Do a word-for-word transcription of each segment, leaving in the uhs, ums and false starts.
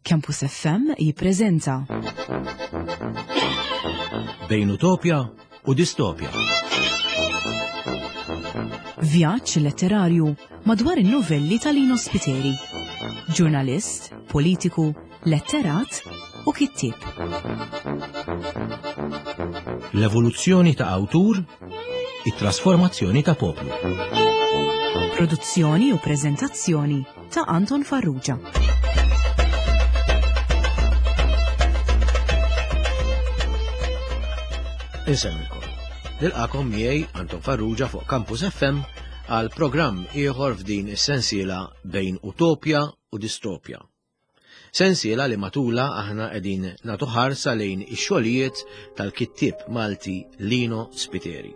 Campus F M jippreżenta Bejn Utopja u Distopja. Vjaġġ letterarju madwar in-novelli ta' Lino Spiteri. Ġurnalist, politiku, letterat u kittieb. L-evoluzzjoni ta' awtur, it-trasformazzjoni ta' poplu. Produzzjoni u preżentazzjoni ta' Anton Farrugia. Insemmilkom. Nilqakom miegħi, Anton Farrugia, fuq Campus F M għal programm ieħor f'din is-sensiela Bejn Utopja u Distopja. Sensiela li matula aħna qegħdin nagħtu ħarsa lejn ix-xogħlijiet tal-kittieb Malti Lino Spiteri.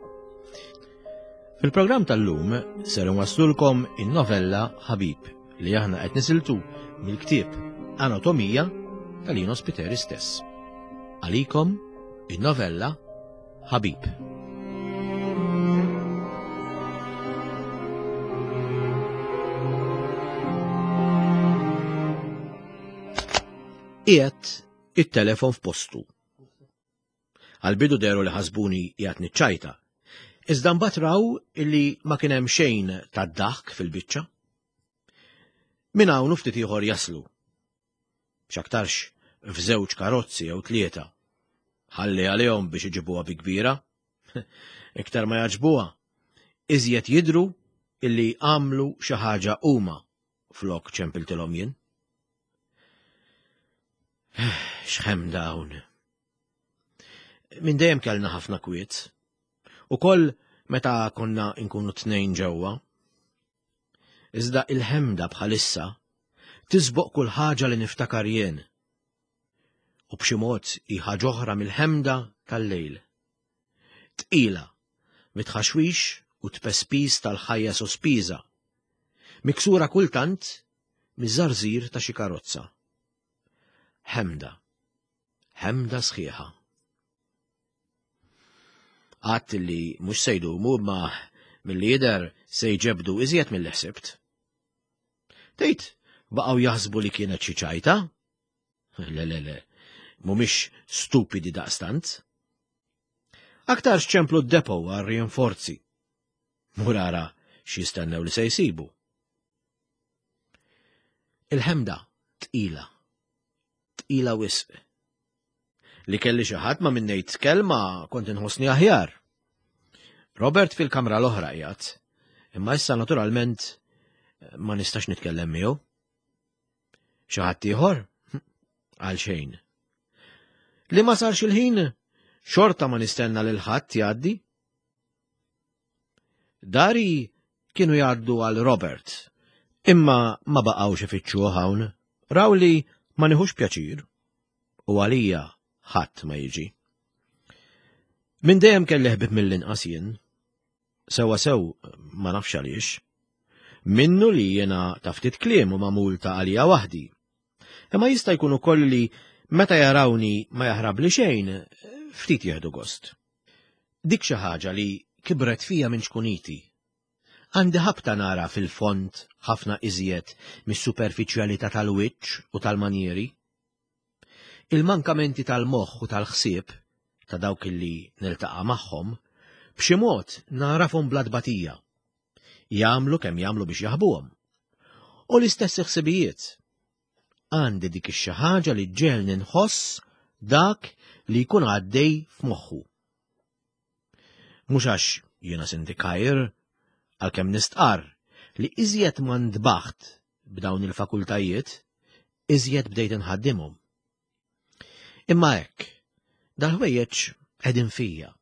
Fil-programm tal-lum ser nwaslulkom in-novella Ħabib li aħna qed nisiltu mill-ktieb Anatomija ta' Lino Spiteri stess. Għalikom in-novella Ħabib. Qiegħed it-telefon f'postu. Għal-bidu deru li ħasbuni qiegħed niċċajta. Iżda mbagħad raw illi ma kien hemm xejn tad-daħk fil-biċċa. Minn hawn u ftit ieħor jaslu. X'aktarx f'żewġ karozzi jew tlieta. Ħalli għalihom biex iġibuha bi kbira. Iktar ma jaġbuha, iżjed jidru illi għamlu xi ħaġa huma flok ċempiltilhom jien. X'ħem dawn. Minn dejjem kellna ħafna kwiet. Ukoll meta konna nkunu tnejn ġewwa. Iżda il-ħemda bħalissa tisboq kull ħaġa li niftakar jien. U b'xi mod hi ħaġa oħra mill-ħemda tal-lejl. Tqila, mitħaxwix u tpespis tal-ħajja sospiża. Miksura kultant miż-żarżir ta' xi karozza. Ħemda. Ħemda sħiħa. Għadt li mhux se jdumu, imma milli jidher se jġebdu iżjed milli ħsibt. Tgħid baqgħu jaħsbu li kienet xi ċajta? Le, le, le, mhumiex stupidi daqstant. Aktar ċemplu d-depo għal rinforzi. Mur ara x'jistennew li se jsibu. Il-ħemda tqila. Tqila wisq. Li kelli xi ħadd ma' min ngħid kelma kont inħossni aħjar. Robert fil-kamra l-oħra qiegħed, imma issa naturalment ma nistax nitkellem miegħu. Xi ħadd ieħor? Għal xejn. Li ma sarx il-ħin, xorta ma nistenna lil ħadd jgħaddi. Dari kienu jgħaddu għal Robert, imma ma baqgħux ifittxuh hawn, raw li ma nieħux pjaċir, u għalija ħadd ma jiġi. Minn dejjem kelli ħbib mill-inqas jien, sewwa sew ma nafx għaliex. Minnu li jiena ta' ftit kliem u magħmul ta' għalija waħdi. Imma jista' jkun ukoll li meta jarawni ma jaħrab li xejn, ftit jieħdu gost. Dik xi ħaġa li kibret fija minn ċkuniti. Għandi ħabta nara fil-fond ħafna iżjed mis-superfiċjalità tal-wiċċ u tal-manjeri. Il-mankamenti tal-moħħ u tal-ħsieb ta' dawk illi niltaqa' magħhom b'xi mod narafhom bla tbatija. Jagħmlu kemm jagħmlu biex jaħbuhom. U l-istess ħsibijiet. Għandi dik ix-xi ħaġa li ġġegħelni nħoss dak li jkun għaddej f'moħħu. Mhux għax jiena sindikajr, għalkemm nistqarr li iżjed ma ndbaħt b'dawn il-fakultajiet, iżjed bdejt inħaddimhom. Imma hekk, dal-ħwejjeġ qegħdin fija.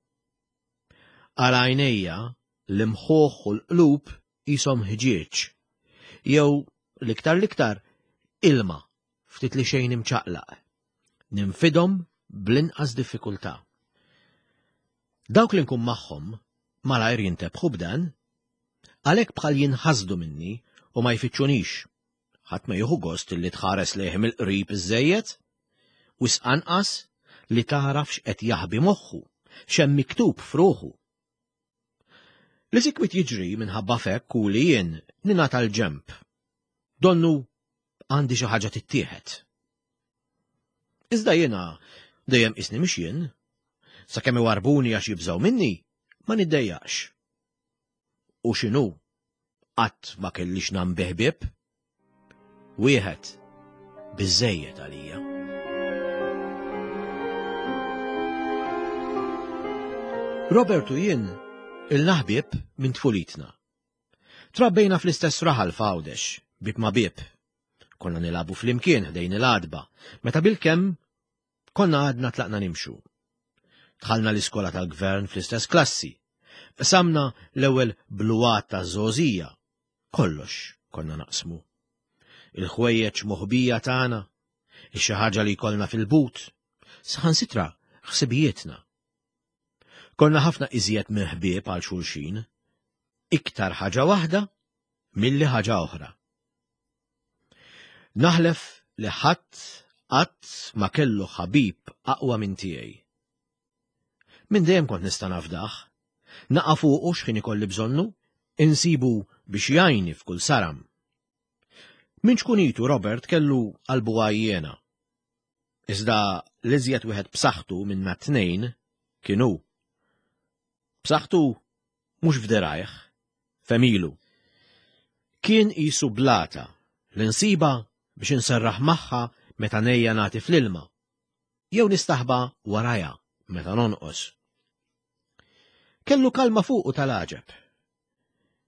Għal għajnejja l-imħuħ u l-qlub qishom ħġieġ, jew l-iktar l-iktar ilma ftit li xejn imċaqlaq. Ninfidhom bl-inqas diffikultà. Dawk li nkun magħhom malajr jintebħu b'dan, għalhekk bħal jinħasdu minni u ma jfittxunix. Ħadd ma jieħu gost li tħares lejh mill-qrib iżżejjed, wisq anqas li tagħraf x'qed jaħbi moħħu, x'hemm miktub f'ruħu. Li sikwit jiġri minħabba fekk u li jien ningħata l-ġemp. Donnu għandi xi ħaġa tittieħed. Iżda jiena dejjem qisni mhix jien. Sakemm iwarbuni għax jibżgħu minni, ma niddejjaqx. U x'inhu? Qatt ma kellix nambih ħbieb. Wieħed biżejjed għalija. Robert u jien ilna ħbieb minn tfulitna. Trabbejna fl-istess raħal f'Għawdex, bieb ma' bieb. Konna nilagħbu flimkien ħdejn il-għadba, meta bilkemm konna għadna tlaqna nimxu. Dħalna l-iskola tal-gvern fl-istess klassi. Qsamna l-ewwel bluwat ta' żgħożija. Kollox konna naqsmu. Il-ħwejjeġ moħbija tagħna, ix-xi ħaġa li jkollna fil-but, saħansitra ħsibijietna. Konna ħafna iżjed minn ħbieb għal xulxin, iktar ħaġa waħda milli ħaġa oħra. Naħlef li ħadd qatt ma kellu ħabib aqwa minn tiegħi. Minn dejjem kont nista' nafdah, naqa' fuqu x'ħin ikolli bżonnu, insibu biex jgħinni f'kull saram. Minn ċkunitu Robert kellu qalbu għajjena. Iżda l-iżjed wieħed b'saħħtu minna t-tnejn kien hu. B'saħħtu mhux f'dirajh, f'għemilu. Kien qisu blata li nsiba biex inserraħ magħha meta nejja nagħti fl-ilma, jew nistaħba warajha meta nonqos. Kellu kalma fuqu tal-għaġeb.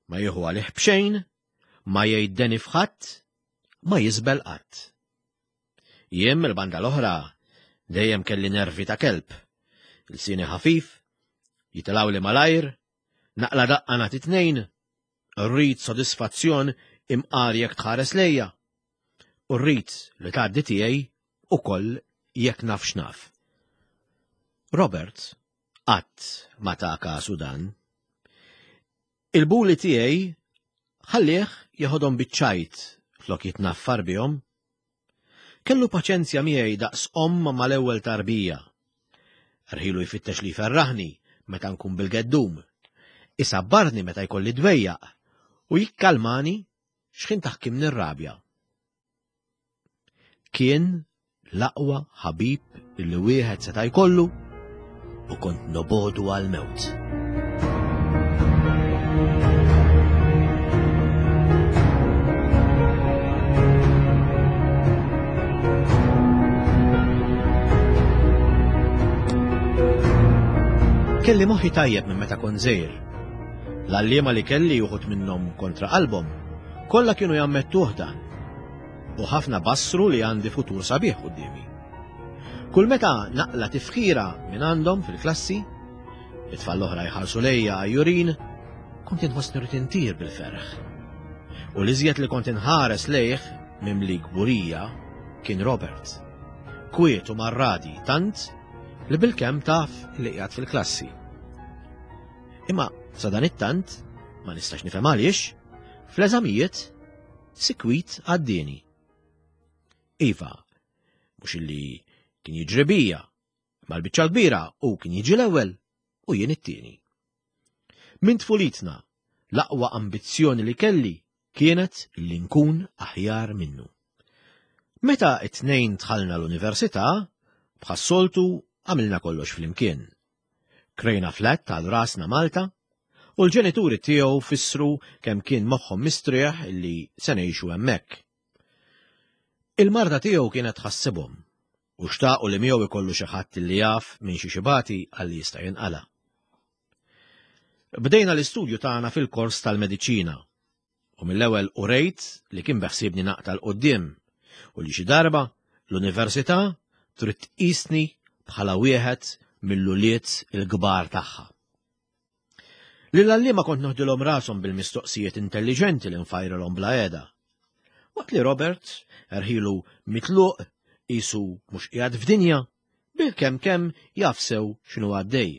Ma jieħu għalih b'xejn, ma jgħid f'ħadd, ma jiżbel qatt. Jien mill-banda l-oħra dejjem kelli nervi ta' kelb, ilsieni ħafif, jitilgħuli malajr, naqla daqqa nagħti tnejn, rrid sodisfazzjon imqar jekk tħares lejja, u rrid li tgħaddi tiegħi ukoll jekk naf x'naf. Robert qatt ma ta kasu dan. Il-buli tiegħi ħallih jeħodhom biċ-ċajt flok jitnaffar bihom. Kellu paċenzja miegħi daqs omm mal-ewwel tarbija. Rħilu jfittex li jferraħni meta nkun bil-geddum, isabbarni meta jkolli dwejjaq u jikkalmani x'ħin taħkimni r-rabja. Kien l-aqwa ħabib li wieħed seta' jkollu u kont nobodu għal-mewt. Kelli moħħi tajjeb minn meta kont żgħir. L-għalliema li kelli uħud minnhom kontra qalbhom, kollha kienu jammettuh dan. U ħafna bassru li għandi futur sabiħ quddiemi. Kull meta naqla tifħira minn għandhom fil-klassi, it-tfal l-oħra jħarsu lejja għajjurin, kont inħossni rrid intir bil-ferħ. U l-iżjed li kont inħares lejh mimli kburija kien Robert. Kwiet u marradi tant li bilkemm taf li qiegħed fil-klassi. Imma sa dan it-tant, ma nistax nifhem għaliex, fl-eżamijiet sikwit għaddieni. Iva, mhux illi kien jiġri bija, ma l-biċċa l-kbira u kien jiġi l-ewwel u jien it-tieni. Minn tfulitna, l-aqwa ambizzjoni li kelli kienet li nkun aħjar minnu. Meta it-tnejn dħalna l-università, bħas-soltu għamilna kollox flimkien. Krejna flat għal rasna Malta u l-ġenituri tiegħu fissru kemm kien moħħhom mistrieħ illi se ngħixu hemmhekk. Il-marda tiegħu kienet tħassibhom u xtaqu li miegħu ikollu xi ħadd li jaf minn xi xibati għalli jista' jinqala. Bdejna l-istudju tagħna fil-kors tal-mediċina u mill-ewwel urejt li kien beħsiebni naqta' 'l quddiem u li xi darba l-università trid tqisni bħala wieħed mill-ulied il-kbar tagħha. Lill-għalliema kont noħdilhom rashom bil-mistoqsijiet intelliġenti li nfajrilhom bla qiegħda. Waqt li Robert erħilu mitluq qisu mhux qiegħed f'dinja, bil-kemm kemm jaf sew x'inhu għaddej.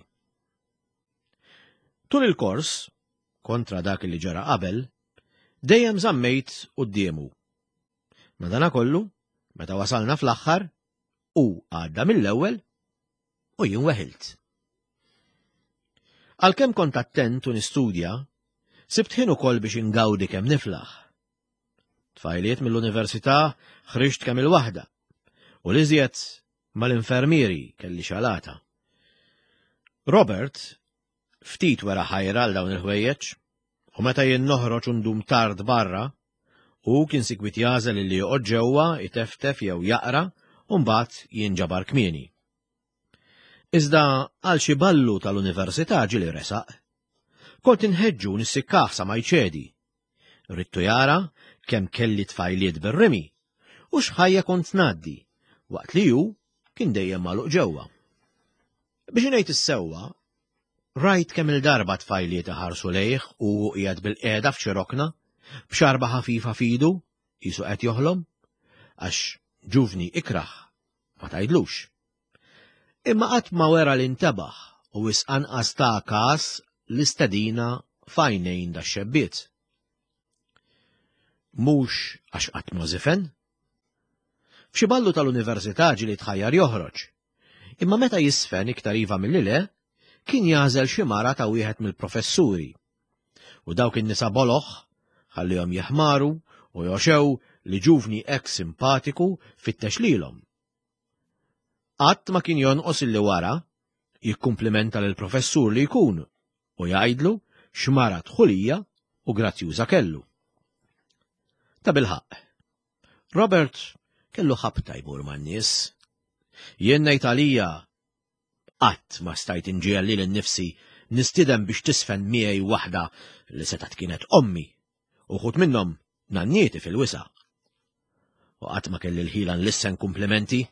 Tul il-kors, kontra dak li ġara qabel, dejjem żammejt quddiemu. Madanakollu, meta wasalna fl-aħħar, u għadda mill-ewwel u jien weħilt. Għalkemm kont attent u nistudja, sibt ħin ukoll biex ingawdi kemm niflaħ. Tfajliet mill-università ħriġt kemm il-waħda u l-iżjed Mal-infermieri kelli xalata. Robert ftit wera ħajra għal dawn il-ħwejjeġ, u meta jien noħroġ u ndum tard barra, hu kien sikwit jagħżel li joqgħod ġewwa iteftef jew jaqra u mbagħad jinġabar kmieni. Iżda għal xi ballu tal-università ġieli resaq. Kont inħeġġu nissikkah sa ma jċedi. Ridtu jara kemm kelli tfajliet bir-rimi u x'ħajja kont ngħaddi waqt li hu kien dejjem magħluq ġewwa. Biex ngħid is-sewwa, rajt kemm il-darba tfajliet iħarsu lejh u hu qiegħed bil-qiegħda f'xi rokna, b'xarba ħafifa f'idu, qisu qed joħlom, għax ġuvni ikrah, ma tgħidlux. Imma qatt ma wera li ntebaħ u wisq anqas ta' każ l-istedina f'għajnejn dax-xebbiet. Mhux għax qatt ma żifen. F'xi ballu tal-università ġieli tħajjar joħroġ. Imma meta jisfen iktar iva milli le, kien jagħżel xi mara ta' wieħed mill-professuri. U dawk in-nisa boloh ħallihom jeħmaru u joxew li ġuvni hekk simpatiku fittex lilhom. Qatt ma kien jonqos illi wara jikkumplimenta lill-professur li jkun u jgħidlu x'mara dħulija u grazzjuża kellu. Ta' bilħaqq, Robert kellu ħabta jmur man-nies. Jien ngħid għalija qatt ma stajt inġiegħel lili nnifsi nistieden biex tisfen miegħi waħda li setgħet kienet ommi, uħud minnhom nannieti fil-wisa'. U qatt ma kelli l-ħila nlissen kumplimenti,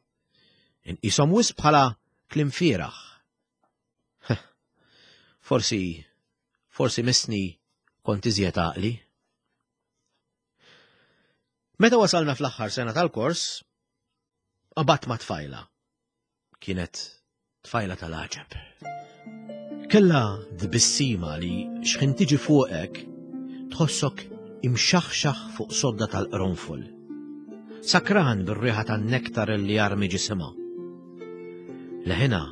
inqishom wisq bħala kliem fieragħ. Forsi, forsi missni kont iżjed għaqli. Meta wasalna fl-aħħar sena tal-kors, qabadt ma' tfajla. Kienet tfajla tal-għaġeb. Kellha tbissima li xħin tiġi fuqek tħossok imxaħxaħ fuq sodda tal-qronfol. Sakran bir-riħa tan-nektar li jarmi ġisimha. Leħinha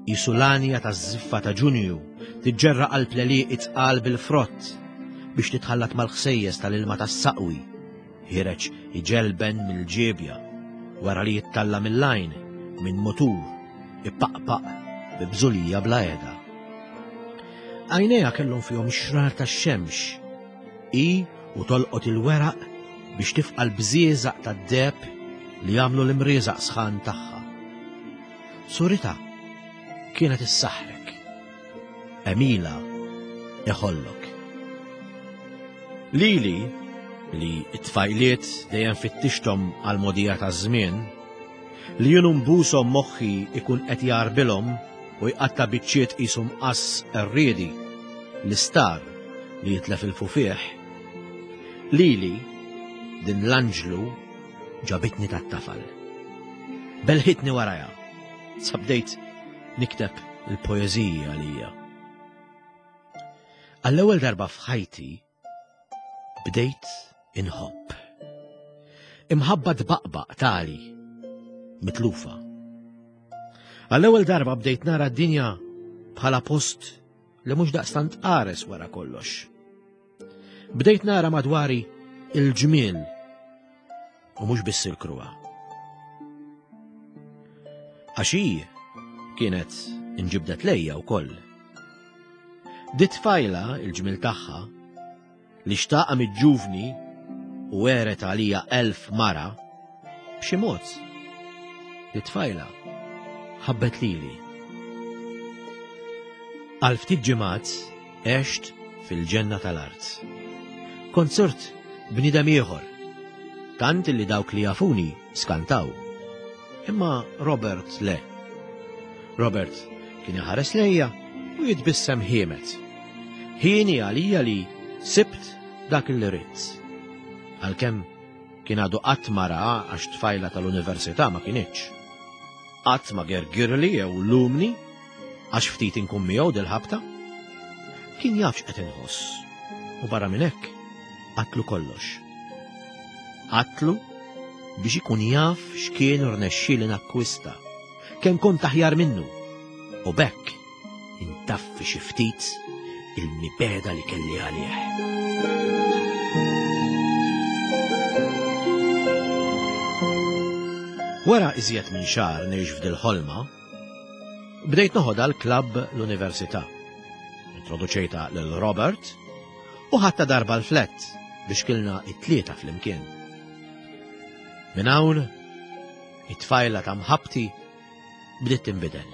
qisu l-għanja taż-żiffa ta' Ġunju tiġġerra qalb l-għelieqi tqal bil-frott biex titħallat mal-ħsejjes tal-ilma tas-saqwi, ħiereġ iġelben mill-ġiebja wara li jittalla mill-għajn minn mutur ipaqpaq bi bżulija bla qiegħda. Għajnejha kellhom fihom xrar tax-xemx, i u tolqot il-weraq biex tifqa' l-bżieżaq tad-deheb li jagħmlu l-imrieżaq sħan tagħha. Suritha kienet issaħħrek. Emila iħollok. Lili, li t-tfajliet dejjem fittixthom għal-mogħdija taż-żmien, li jien nbushom moħħi ikun qed jarbilhom u jqatta' biċċiet qishom qass qerriedi, l-istar li jitlef il-fufih. Lili, din l-anġlu ġabitni tat-tafal. Belħitni warajha, sa bdejt nikteb il-poeżiji għalija. Għall-ewwel darba f'ħajti bdejt inħobb. Imħabba tbaqbaq tali, mitlufa. Għall-ewwel darba bdejt nara d-dinja bħala post li mhux daqstant qares wara kollox. Bdejt nara madwari il-ġmiel u mhux biss il-kruha. Għax hi kienet inġibdet lejja wkoll. Di tfajla il-ġmiel tagħha li xtaqa mill-ġuvni u għeret għalija elf mara, b'xi mod, di tfajla ħabbet lili. Għal ftit ġimgħat għext fil-ġenna tal-art. Kont sirt bniedem ieħor, tant li dawk li jafuni skantaw. Imma Robert le. Robert kien iħares lejja u jitbissem ħiemet. Hieni għalija li sibt dak li ridt. Għalkemm kien għadu qatt ma ra għax tfajla tal-università ma kinitx. Qatt ma gergirli jew lumni għax ftit inkun miegħu dil-ħabta. Kien jaf x'qed inħoss u barra minn hekk għedtlu kollox. Għedtlu biex ikun jaf x'kien rnexxieli nakkwista, kemm kont aħjar minnu, u b'hekk intaffi xi ftit il-mibegħda li kelli għalih. Wara iżjed minn xahar ngħix f'dil-ħolma, bdejt noħodha l-klabb l-università. Introduċejtha lil Robert u ħadtha darba l-flat biex kilna it-tlieta flimkien. Minn hawn, it-tfajla ta' mħabbti bdiet tinbidel.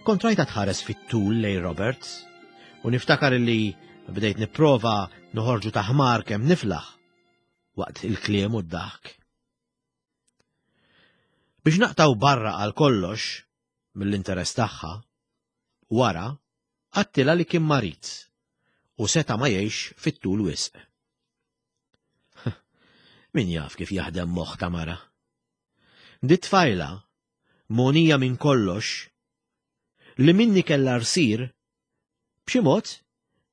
Kont rajtha tħares fit-tul lejn Robert u niftakar li bdejt nipprova noħorġu ta' ħmar kemm niflaħ waqt il-kliem u d-daħk. Biex naqtgħu barra għal kollox mill-interess tagħha, wara għedtilha li kien marid u seta' ma jgħix fit-tul wisq. Min jaf kif jaħdem moħħ ta' mara. Dit-tfajla, mogħnija minn kollox, li minni kellha rsir, b'xi mod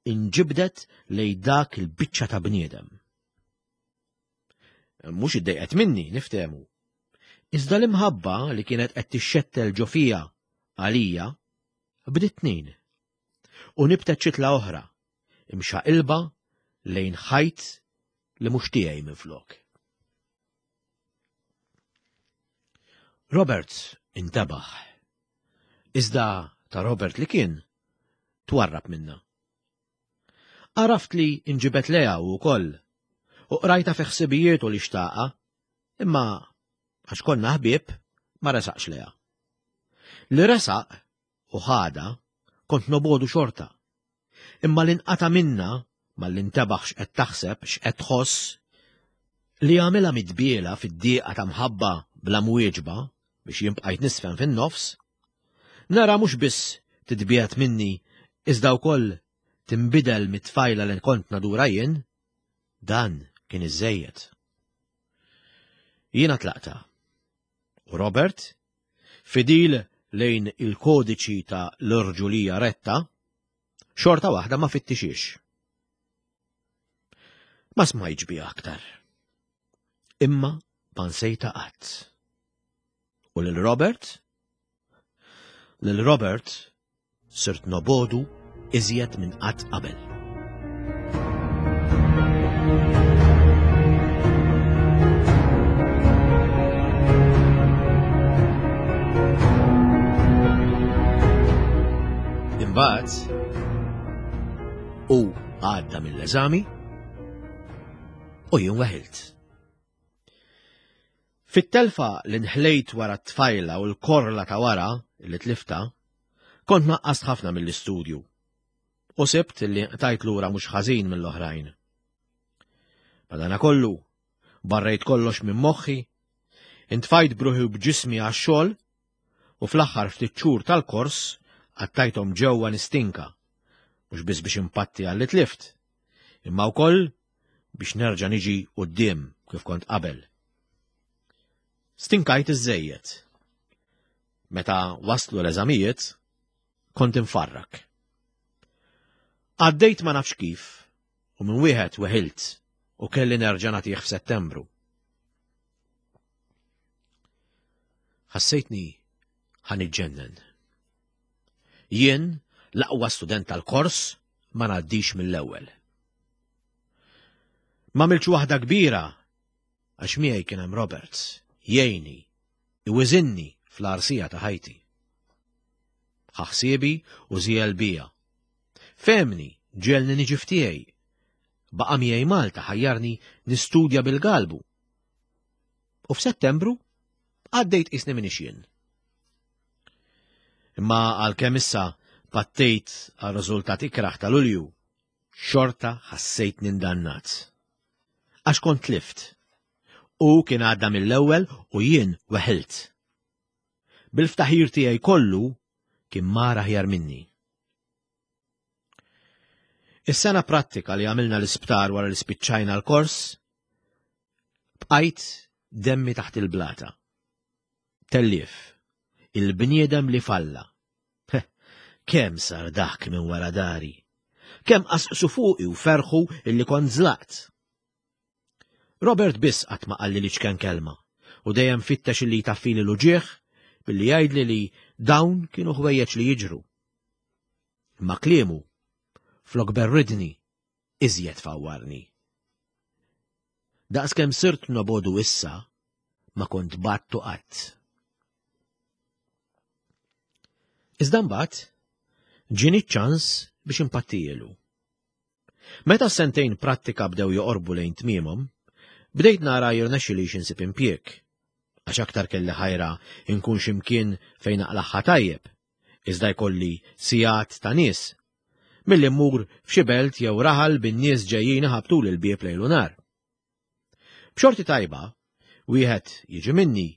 inġibdet lejn dak il-biċċa ta' bniedem. Mhux iddejqet minni, niftehmu. Iżda l-imħabba li kienet qed tixxettel ġo fija għalija bdiet tnin. U nibtet xitla oħra, imxaqilba lejn ħajt li mhux tiegħi minflok. Robert intabaħ. Iżda ta' Robert li kien twarrab minna. Għaraft li inġibet lejha wkoll u qrajtha fi ħsibijietu li xtaqa, imma għax konna ħbieb ma resaqx lejha. Li resaq u ħada kont nobogħdu xorta. Imma li nqata' minna malli ntebaħ x'qed taħseb, x'qed tħoss, li għamilha midbiela fid-dieqa ta' mħabba bla mwieġba biex jien bqajt nisfen fin-nofs, nara mhux biss titbiegħed minni iżda wkoll tinbidel mit-tfajla li kont nadura jien, dan kien iżżejjed. Jiena tlaqta. U Robert, fidil lejn il-kodiċi ta' l-irġulija retta, xorta waħda ma fittixiex. Ma smajtx biha aktar. Imma ma nsejtha qatt. U lil Robert? Lil Robert sirt nobogħdu iżjed minn qatt qabel. Imbagħad u għadda mill-eżami u jien weħilt. Fit-telfa li nħlejt wara t-tfajla u l-korla ta' wara li tlifta, kont naqqast ħafna mill-istudju u sibt li qtajt lura mhux ħażin mill-oħrajn. Madanakollu, barrejt kollox minn moħħi, intfajt bruħi u b'ġismi għax-xogħol u fl-aħħar ftit xhur tal-kors qattajthom ġewwa nistinka, mhux biss biex impatti għal li tlift, imma wkoll biex nerġa' niġi quddiem kif kont qabel. Stinkajt iżżejjed. Meta waslu l-eżamijiet, kont infarrak. Għaddejt ma nafx kif, u minn wieħed weħilt u kelli nerġa' nagħtih f'Settembru. Ħassejtni ħa niġġennen. Jien, l-aqwa student tal-kors, ma ngħaddix mill-ewwel. Ma għamiltx waħda kbira għax miegħi kien hemm Roberts, jgħinni, iwiżinni fl-arsija ta' ħajti. Ħa ħsiebi u żiel bija. Fehmni, ġegħelni niġi f'tiegħi. Baqa' miegħi Malta ħajjarni nistudja bil-galbu. U f'Settembru għaddejt qisni m'iniex jien. Imma għalkemm issa pattejt għal riżultat ikraħ ta' Lulju, xorta ħassejt nindannat. Għax kont tlift. U kien għadda mill-ewwel u jien weħilt. Bil-ftaħir tiegħi kollu kien mar aħjar minni. Is-sena prattika li għamilna l-isptar wara li spiċċajna l-kors, bqajt demmi taħt il-blata. Tellief, il-bniedem li falla. Kemm sar dak minn wara dari? Kemm qasqsu fuqi u ferħu illi kont żlaqt? Robert biss qatt ma qalli li ċken kelma u dejjem fittex illi jtaffili l-uġieħ billi jgħidli li dawn kienu ħwejjeġ li jiġru. Ma kliemu flok berridni iżjed fawwarni. Daqskemm sirt nobogħdu issa, ma kont battu qatt. Iżda mbagħad ġieni ċ-ċans biex impattijielu. Meta s-sentejn prattika bdew joqorbu lejn tmiemhom, bdejt nara jirnexxilix insib impjieg, għax aktar kelli ħajra inkun x'imkien fejn naqlaħħa tajjeb, iżda jkolli sigħat ta' nies, milli mmur f'xi belt jew raħal bin-nies ġejjin iħabtu l-bieb lejl u nhar. B'xorti tajba, wieħed jiġi minni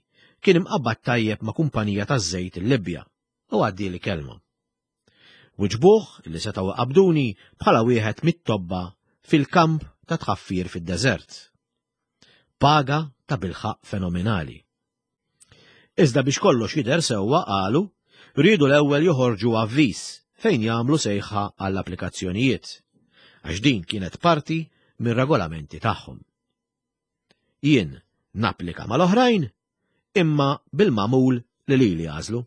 kien imqabbad tajjeb ma' kumpanija taż-żejt il-Libja u għaddieli kelma. Wiġbuh li setgħu qabduni bħala wieħed mit-tobba fil-kamp ta' tħaffir fid-deżert. Paga ta' bilħaq fenomenali. Iżda biex kollox jidher sewwa qalu, riedu l-ewwel joħorġu avviż fejn jagħmlu sejħa għall-applikazzjonijiet, għax din kienet parti mir-regolamenti tagħhom. Jien napplika mal-oħrajn, imma bil-magħmul li lili għażlu.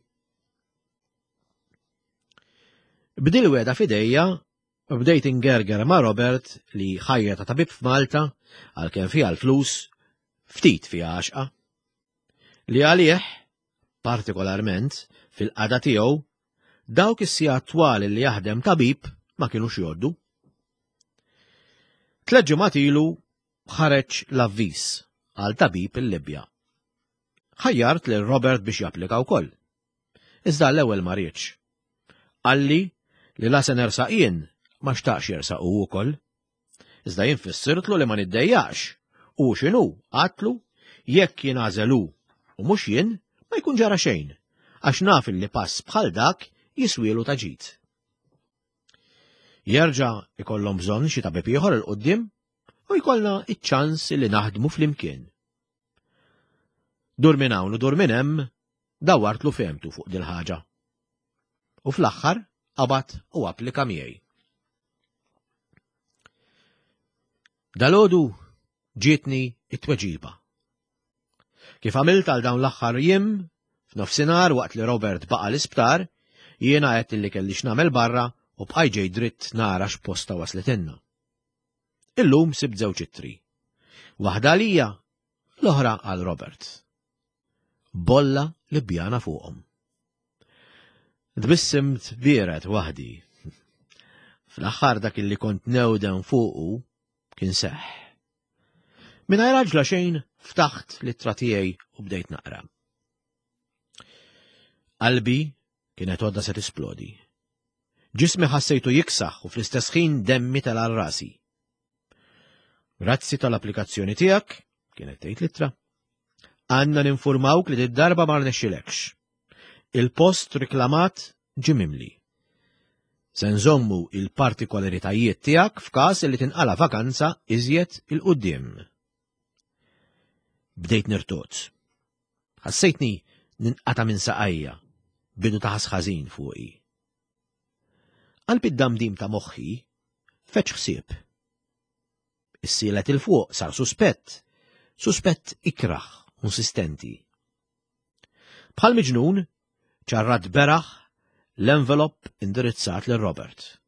B'dil wegħda f'idejja, bdejt ingerger ma' Robert li ħajja ta' tabib f'Malta, għalkemm fiha l-flus, ftit fiha għaxqa. Li għalih, partikolarment, fil-qagħda tiegħu, dawk is-sigħat twal li jaħdem tabib ma kinux jgħoddu. Tliet ġimgħat ilu ħareġ l-avviż għal tabib il-Libja. Ħajjart lil Robert biex japplika wkoll. Iżda l-ewwel ma riedx. Qalli li la se nersaq jien ma xtaqx jersaq hu wkoll. Iżda jien fissirtlu li ma niddejjaqx u x'inhu għatlu jekk jingħażel hu u mhux jien ma jkun ġara xejn, għax naf li pass bħal dak jiswielu ta' ġid. Jerġa' ikollhom bżonn xi tabib ieħor 'il quddiem u jkollna iċ-ċans li naħdmu flimkien. Dur minn hawn u dur minn hemm dawwartlu fehmtu fuq dil-ħaġa. U fl-aħħar qabad u applika miegħi. Dalgħodu ġietni it-tweġiba. Kif għamilt għal dawn l-aħħar jiem, f'nofsinhar waqt li Robert baqa' l-isptar, jiena għedt li kelli x'nagħmel barra u bqajt ġej dritt nara x'posta waslitilna. Illum sibt żewġ ittri. Waħda għalija, l-oħra għal Robert. Bolla Libjana fuqhom. Tbissimt biered waħdi. Fl-aħħar dak illi kont newden fuqu kien seħħ. Mingħajr għaġla xejn ftaħt l-ittra tiegħi u bdejt naqra. Qalbi kienet għodda se tisplodi. Ġismi ħassejtu jiksaħ u fl-istess ħin demmi tela' rasi. Grazzi tal-applikazzjoni tiegħek, kienet tgħid l-ittra. Għandna ninfurmawk li d-darba ma rnexxilekx. Il-post riklamat ġie mimli. Se nżommu il-partikolaritajiet tiegħek f'każ li tinqala vakanza iżjed il-quddiem. Bdejt nirtot. Ħassejtni ninqata' minn saqajja, bidu ta' ħażin fuqi. Qalb id-damdim ta' moħħi feċ ħsieb. Issielet il-fuq sar suspett, suspett ikraħ insistenti. Bħal miġnun, ċarrat beraħ l-envelop indirizzat lil Robert.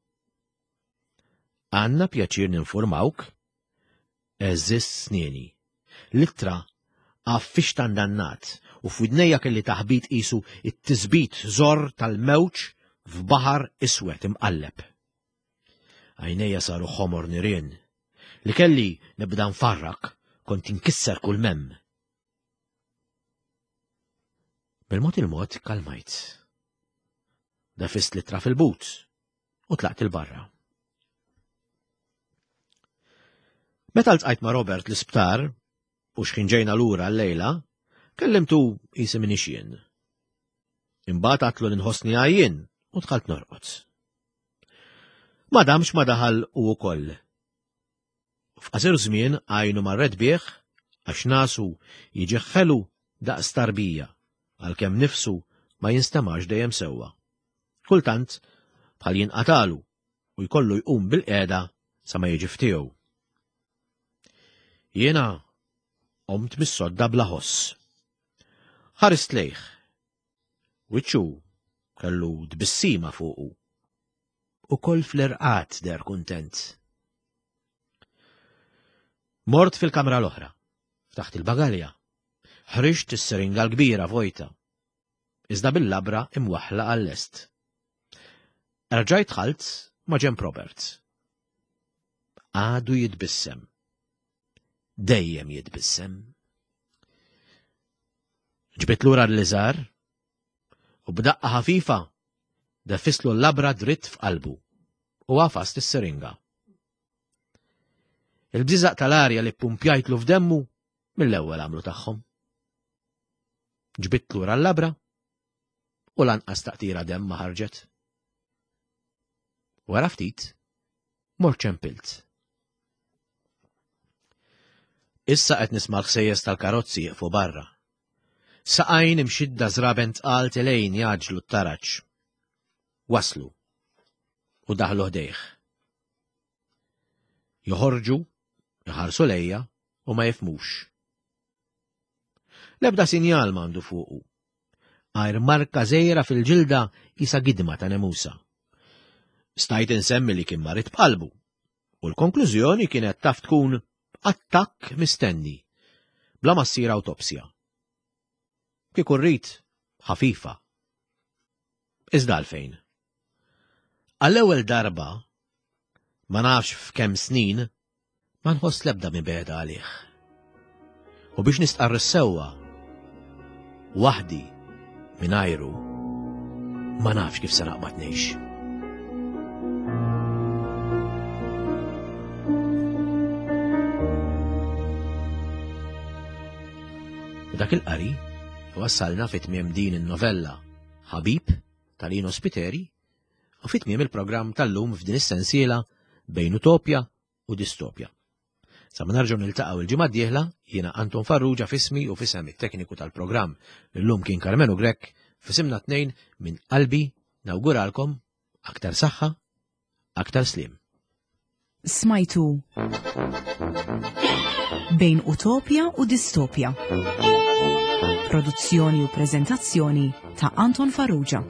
Għanna pjaċir ninformawk, eżis snieni. L-ittra għaffix tandannat u f'widnejja kelli taħbit qisu it-tisbit żor tal-mewġ f'baħar iswed imqalleb. Għajnejja saru ħomor nirien. Li kelli nibda nfarrak kont inkisser kull mem. Bil-mod il-mod kalmajt. Dafist l-ittra fil-but u tlaqt il-barra. Meta ltqajt ma' Robert l-isptar u x'ħin ġejna lura l-lejla, kellimtu qisi minix jien. Imbagħad għatlu li nħossni għajjien u dħalt norqod. Ma damx ma daħal u wkoll. F'qasir żmien għajnu marret bih għax nasu jiġi ħelu daqs tarbija għalkemm nifsu ma jinstemax dejjem sewwa. Kultant bħal jinqatalu u jkollu jqum bil-qiegħda sa ma jiġi ftiegħu. Jiena qomt mis-sodda bla ħoss. Ħarist lejh. Wiċċu kellu tbissima fuqu. Ukoll fl-irqad der kuntent. Mort fil-kamra l-oħra, ftaħt il-bagalja. Ħriġt is-seringa l-kbira vojta, iżda bil-labra imwaħħla għal-lest. Erġajt dħalt ma' ġenb Robert. Għadu jitbissem. Dejjem jitbissem. Ġbidt lura l-liżar u b'daqqa ħafifa deffistlu l-labra dritt f'qalbu u għafast is-seringa. Il-bżiżaq tal-arja li ppumpjajtlu f'demmu mill-ewwel għamlu tagħhom. Ġbidt lura l-labra u lanqas taqtira demm ma ħarġet. Wara ftit, mort ċempilt. Issa qed nisma' l-ħsejjes tal-karozzi jieqfu barra. Saqajn imxidda żraben tqal telgħin jgħaġġlu t-taraġ. Waslu u daħlu ħdejh. Joħorġu, iħarsu lejja u ma jifhmux. L-ebda sinjal m'għandu fuqu. Għajr marka żgħira fil-ġilda qisha gidma ta' nemusa. Stajt insemmi li kien marid b'qalbu u l-konklużjoni kienet taf tkun attakk mistenni, bla ma ssir awtopsja. Kieku rrid ħafifa. Iżda għalfejn. Għall-ewwel darba, ma nafx f'kemm snin, ma nħoss l-ebda mibegħda għalih. U biex nistqarr is-sewwa, waħdi mingħajru, ma nafx kif se naqbad ngħix. U dak il-qari wassalna fi tmiem din in-novella Ħabib ta' Lino Spiteri u fi tmiem il-programm tal-lum f'din is-sensiela bejn utopja u distopja. Sa ma nerġgħu niltaqgħu il-ġimgħa d-dieħla, jiena Anton Farrugia f'ismi u f'isem it-tekniku tal-programm illum kien Karmenu Grech, f'isimna tnejn minn qalbi nawguralkom aktar saħħa, aktar sliem. Smajtu Bejn Utopja u Distopja. Produzzjoni u preżentazzjoni ta' Anton Farrugia.